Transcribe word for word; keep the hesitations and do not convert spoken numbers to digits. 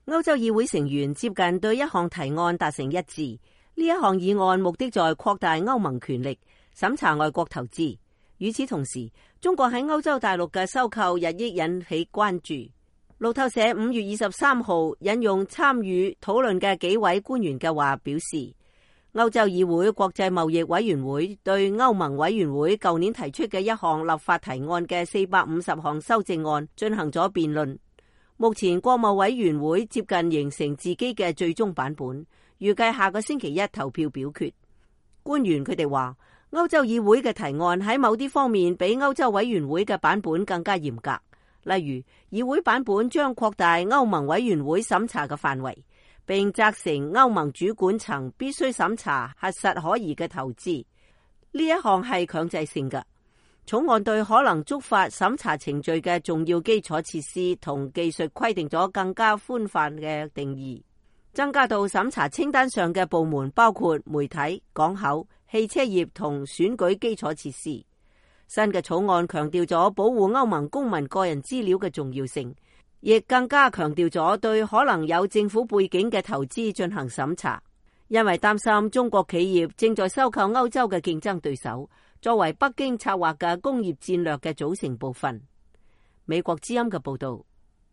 歐洲議會成員接近對一項提案達成一致。呢一項議案目的在擴大歐盟權力，審查外國投資。與此同時，中國喺歐洲大陸嘅收購日益引起關注。路透社五月二十三號引用參與討論嘅幾位官員嘅話表示，歐洲議會國際貿易委員會對歐盟委員會舊年提出嘅一項立法提案嘅四百五十項修正案進行咗辯論。目前國貿委員會接近形成自己嘅最終版本，預計下個星期一投票表決。官員佢哋話，歐洲議會嘅提案喺某啲方面比歐洲委員會嘅版本更加嚴格。例如，議會版本將擴大歐盟委員會審查嘅範圍，並責成歐盟主管層必須審查核實可疑嘅投資。呢一項係強制性嘅。草案對可能觸發審查程序嘅重要基礎設施同技術規定咗更加寬泛嘅定義，增加到審查清單上嘅部門包括媒體、港口、汽車業同選舉基礎設施。新嘅草案強調咗保護歐盟公民個人資料嘅重要性，亦更加強調咗對可能有政府背景嘅投資進行審查，因為擔心中國企業正在收購歐洲嘅競爭對手，作為北京策劃嘅工業戰略嘅組成部分。美國之音嘅報道。